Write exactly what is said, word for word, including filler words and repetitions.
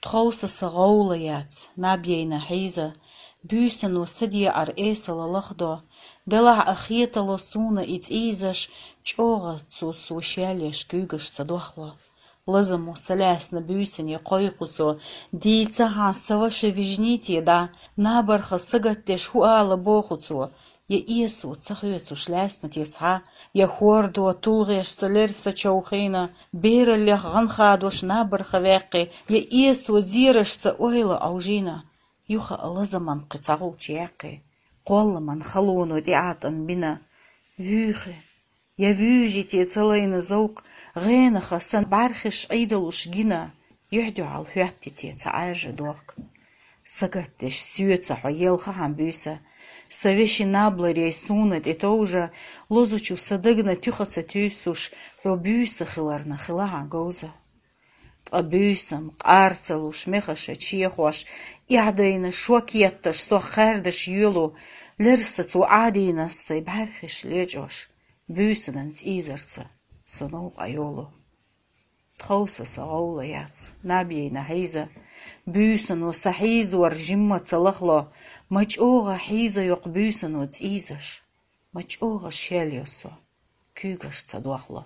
Тховса са гӀовла яц, наб яйна хьийза, буьйсано са декъар эсала лахдо, делахь а хетало суна и цӀийзаш, чӀогӀа цо со шелъеш куьйгаш ца дохло. Лазамо са лаьсна буьйсане кхойкху со, дийцахьан са ваша вижнийте дӀа, набарха сагатдеш хӀу ала боху цо, я эсо ца хоьцуш лаьсна те схьа, я хӀордо тулгӀеш са лерса човхийна, бераллех гӀанхадош набарха ваьккхи, я эсо зерашца ойла Ӏовжийна. Юха а лазаман кхин цхьа гӀулч яьккхи, кхолламан халоно тӀеӀатӀан бина. Вуьйхи, я вуьйжи те ца лайна зовкх, гӀенаха сан бӀаьрхиш Ӏийдалуш гина, юьхь-дуьхьал хӀоьтти те ца Ӏаьржа дохк. Сагатдеш соьца хьо елхахьан буьйса, са вешин набларей суна тӀе товжа, лозучу са дагна туьха ца туьйсуш, хьо буьйса хиларна хилахьан говза. Ткъа буьйсам, къар ца луш, мехаша чехош, эхь дайна шок етташ, сох хаьрдаш йоьлу, лерса цо Ӏадийнас сай бӀаьрхиш лечӀош, буьйсанан цӀийзарца со новкъа йолу. Тховса са гӀовла яц, наб яйна хьийза, буьйсано са хьийзавар жимма ца лахло, ма чӀогӀа хьийза йоккху буьйсано цӀийзаш, ма чӀогӀа шелъо со, куьйгаш ца дохло.